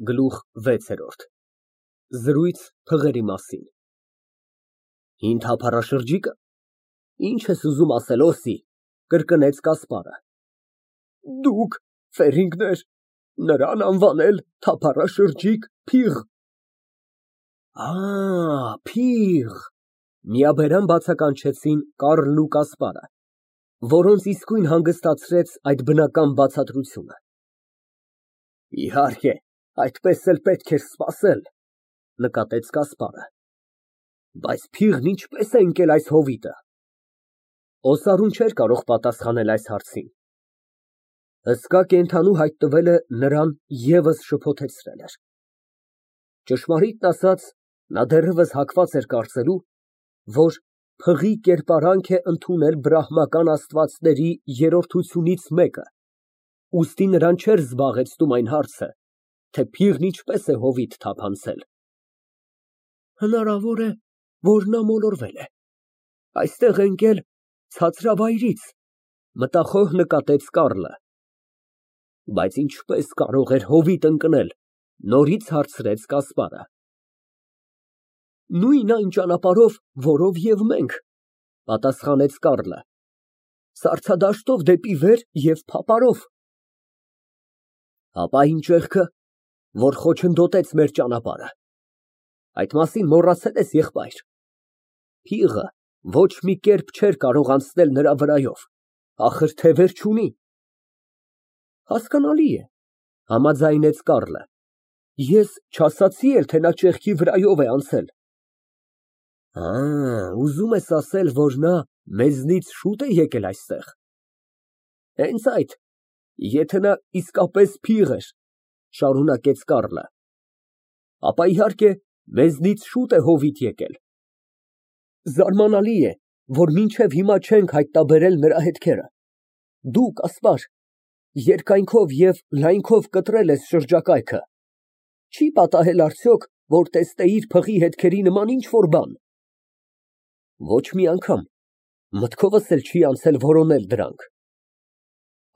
Գլուխ վեցերորդ։ Զրույց փղերի մասին։ Հին թափառաշրջիկը։ Ինչ ես ուզում ասել, Օսի, կրկնեց Կասպարը։ Դուք, ֆերինգներ, նրան անվանել թափառաշրջիկ փիղ։ Փիղ, միաբերան բացականչեցին Կառլն ու Կասպարը, որոնց իսկույն հանգստացրեց այդ բնական բացատրությունը։ Իհարկե, այդպես էլ պետք էր սպասել, նկատեց Կասպարը։ Բայց փիղն ինչպես է ընկել այս հովիտը։ Օսարուն չէր կարող պատասխանել այս հարցին։ Հսկա կենդանու հայտնվելը նրան ևս շփոթեցրել էր։ Ճշմարիտն ասած, նա դեռևս հակված էր կարծելու, որ փղի կերպարանք է ընդունել բրահմական աստվածների երրորդությունից մեկը, ուստի նրան չէր զբաղեցնում այն հարցը, թե փիղն ինչպես է հովիտ թափանցել։ Հնարավոր է, որ նա մոլորվել է, այստեղ է ընկել ցածրավայրից, մտախոհ նկատեց Կառլը։ Բայց ինչպես կարող էր հովիտ ընկնել, նորից հարցրեց Կասպարը։ Նույն այն ճանապարհով, որով և մենք, պատասխանեց Կառլը, սառցադաշտով դեպի վեր և փապարով։ Հապա այն ճեղքը, որ խոչընդոտեց մեր ճանապարհը, այդ մասին մոռացել ես, եղբայր։ Փիղը ոչ մի կերպ չէր կարող անցնել նրա վրայով, ախր թևեր չունի։ Հասկանալի է, համաձայնեց Կառլը, ես չասացի էլ, թե նա ճեղքի վրայով է անցել։ Ուզում ես ասել, որ նա մեզնից շուտ է եկել այստեղ։ Հենց այդ, եթե նա իսկապես փիղ էր, շարունակեց Կառլը, ապա իհարկե մեզնից շուտ է հովիտ եկել։ Զարմանալի է, որ մինչև հիմա չենք հայտնաբերել նրա հետքերը։ Դու, Կասպար, երկայնքով և լայնքով կտրել ես շրջակայքը, չի պատահել արդյոք, որ տեսնեիր փղի հետքերի նման ինչ֊որ բան։ Ոչ մի անգամ, մտքովս էլ չի անցել որոնել դրանք։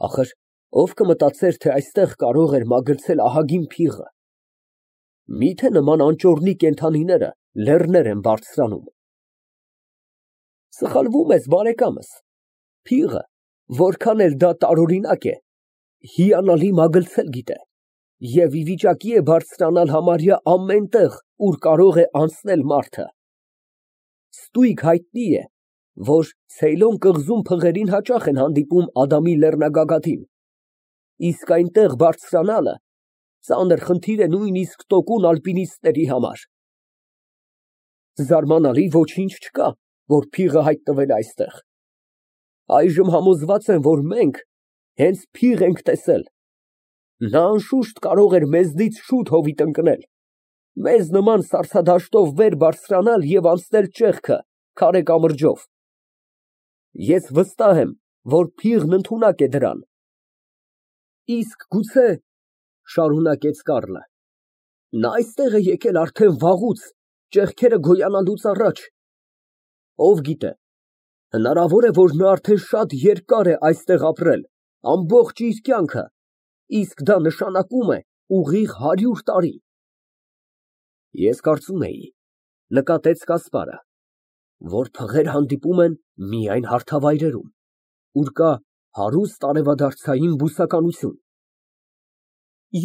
Ախր ով կմտածեր, թե այստեղ կարող էր մագլցել ահագին փիղը։ Միթե նման անճոռնի կենդանիները լեռներ են բարձրանում։ Սխալվում ես, բարեկամս, փիղը, որքան էլ դա տարօրինակ է, հիանալի մագլցել գիտե և ի վիճակի է բարձրանալ համարյա ամեն տեղ, ուր կարող է անցնել մարդը։ Ստույգ հայտնի է, որ Ցեյլոն կղզում փղերին հաճախ են հանդիպում Ադամի լեռնագագաթին, իսկ այնտեղ բարձրանալը ծանր խնդիր է նույնիսկ տոկուն ալպինիստների համար։ Զարմանալի ոչինչ չկա, որ փիղը հայտնվել է այստեղ։ Այժմ համոզված եմ, որ մենք հենց փիղ ենք տեսել։ Նա անշուշտ կարող էր մեզնից շուտ հովիտ ընկնել, մեզ նման սառցադաշտով վեր բարձրանալ և անցնել ճեղքը քարե կամրջով։ Ես վստահ եմ, որ փիղն ընդունակ է դրան։ Իսկ գուցե, շարունակեց Կառլը, նա այստեղ է եկել արդեն վաղուց, ճեղքերը գոյանալուց առաջ։ Ով գիտե, հնարավոր է, որ նա արդեն շատ երկար է այստեղ ապրել, ամբողջ իր կյանքը, իսկ դա նշանակում է ուղիղ 100 տարի։ Ես կարծում էի, նկատեց Կասպարը, որ փղեր հանդիպում են միայն հարթավայրերում, ուր կա հարուստ արևադարձային բուսականություն։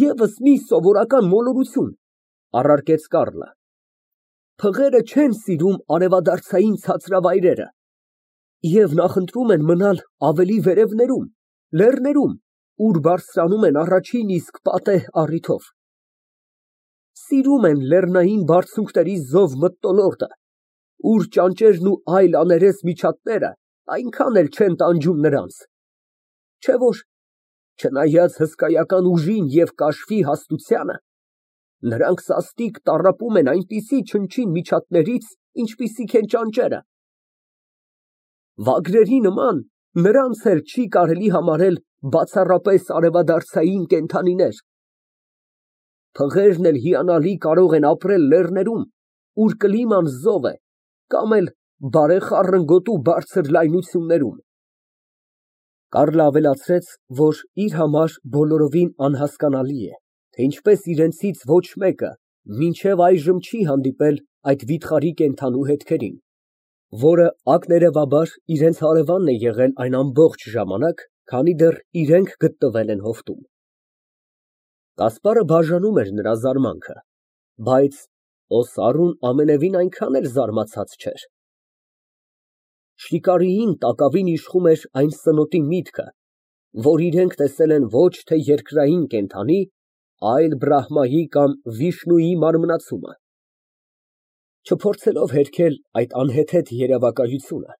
Եվս մի սովորական մոլորություն, առարկեց Կառլը, փղերը չեն սիրում արևադարձային ցածրավայրերը և նախընտրում են մնալ ավելի վերևներում, լեռներում, ուր բարձրանում են առաջին իսկ պատեհ առիթով։ Սիրում են լեռնային բարձունքների զով մթնոլորտը, ուր ճանճերն ու այլ աներես միջատները այնքան էլ չեն տանջում նրանց, չէ՞ որ, չնայած հսկայական ուժին և կաշվի հաստությանը, նրանք սաստիկ տառապում են այնպիսի չնչին միջատներից, ինչպիսիք են ճանճերը։ Վագրերի նման նրանց էլ չի կարելի համարել բացառապես արևադարձային կենդանիներ։ Փղերն էլ հիանալի կարող են ապրել լեռներում, ուր կլիման զով է, կամ էլ բարեխառն գոտու բարձր լայնություններում։ Կառլը ավելացրեց, որ իր համար բոլորովին անհասկանալի է, թե ինչպես իրենցից ոչ մեկը մինչև այժմ չի հանդիպել այդ վիթխարի կենդանու հետքերին, որը ակներևաբար իրենց հարևանն է եղել այն ամբողջ ժամանակ, քանի դեռ իրենք գտնվել են հովտում։ Կասպարը բաժանում էր նրա զարմանքը, բայց Օսարուն ամենևին այնքան էլ զարմացած չէր։ Շիկարիին տակավին իշխում էր այն սնոտի միտքը, որ իրենք տեսել են ոչ թե երկրային կենդանի, այլ Բրահմայի կամ Վիշնուի մարմնացումը։ Չփորձելով հերքել այդ անհեթեթ երևակայությունը,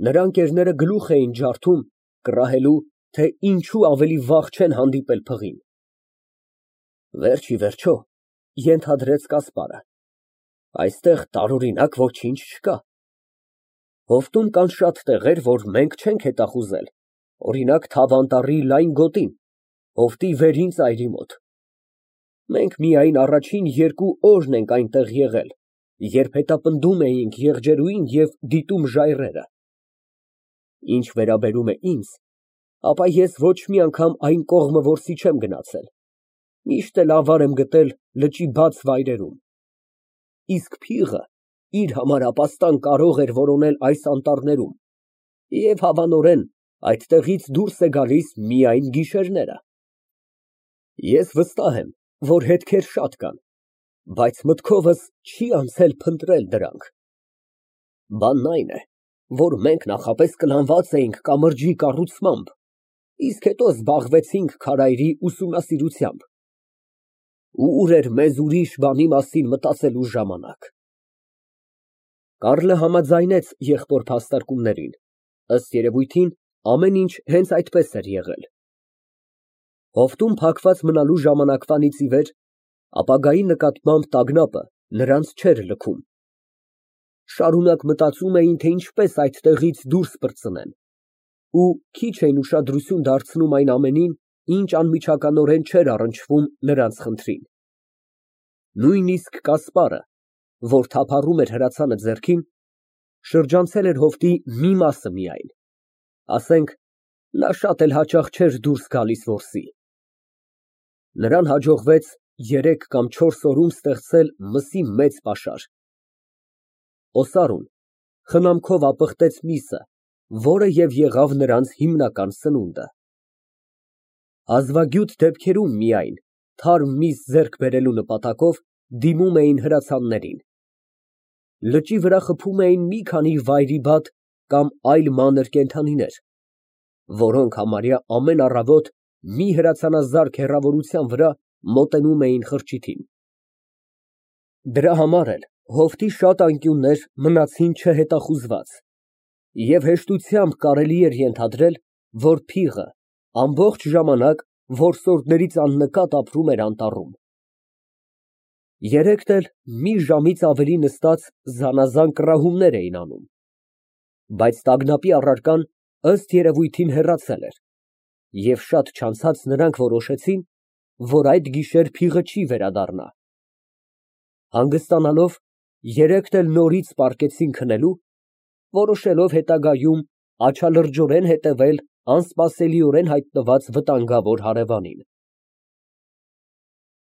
նրա ընկերները գլուխ էին ջարդում կռահելու, թե ինչու ավելի վաղ չեն հանդիպել փղին։ Վերջ ի վերջո, ենթադրեց Կասպարը, այստեղ տարօրինակ ոչինչ չկա։ Հովտում կան շատ տեղեր, որ մենք չենք հետախուզել, օրինակ Թավանտառի լայն գոտին, հովտի վերին ծայրի մոտ։ Մենք միայն առաջին 2 օրն ենք այնտեղ եղել, երբ հետապնդում էինք եղջերուին և դիտում ժայռերը։ Ինչ վերաբերում է ինձ, ապա ես ոչ մի անգամ այն կողմը որսի չեմ գնացել, միշտ էլ ավար եմ գտել լճի բաց վայրերում։ Իսկ փիղը իր համար ապաստան կարող էր որոնել այս անտառներում և հավանորեն այդտեղից դուրս է գալիս միայն գիշերները։ Ես վստահ եմ, որ հետքեր շատ կան, բայց մտքովս չի անցել փնտրել դրանք։ Բանն այն է, որ մենք նախապես կլանված էինք կամրջի կառուցմամբ, իսկ հետո զբաղվեցինք քարայրի ուսումնասիրությամբ։ Ուր էր մեզ ուրիշ բանի մասին մտածելու ժամանակ։ Կառլը համաձայնեց եղբոր փաստարկումներին, ըստ երևույթին, ամեն ինչ հենց այդպես էր եղել։ Հովտում փակված մնալու ժամանակվանից ի վեր ապագայի նկատմամբ տագնապը նրանց չէր լքում։ Շարունակ մտածում էին, թե ինչպես այդտեղից դուրս պրծնեն, ու քիչ էին ուշադրություն դարձնում այն ամենին, ինչ անմիջականորեն չէր առնչվում նրանց խնդրին։ Նույնիսկ Կասպարը, որ թափառում էր հրացանը ձեռքին, շրջանցել էր հովտի մի մասը միայն, ասենք, նա շատ էլ հաճախ չէր դուրս գալիս որսի։ Նրան հաջողվեց 3 կամ 4 օրում ստեղծել մսի մեծ պաշար։ Օսարուն խնամքով ապխտեց միսը, որը և եղավ նրանց հիմնական սնունդը։ Հազվագյուտ դեպքերում միայն, թարմ միս ձեռք բերելու նպատակով, դիմում էին հրացաններին։ Լճի վրա խփում էին մի քանի վայրիբատ կամ այլ մանր կենդանիներ, որոնք համարյա ամեն առավոտ մի հրացանազարկ հեռավորության վրա մոտենում էին խրճիթին։ Դրա համար էլ հովտի շատ անկյուններ մնացին չհետախուզված, և հեշտությամբ կարելի էր ենթադրել, որ փիղը ամբողջ ժամանակ որսորդներից աննկատ ապրում էր անտառում։ Երեքն էլ մի ժամից ավելի նստած զանազան կռահումներ էին անում, բայց տագնապի առարկան ըստ երևույթին հեռացել էր, և շատ չանցած նրանք որոշեցին, որ այդ գիշեր փիղը չի վերադառնա։ Հանգստանալով, երեքն էլ նորից պառկեցին քնելու, որոշելով հետագայում աչալրջորեն հետևել անսպասելիորեն հայտնված վտանգավոր հարևանին։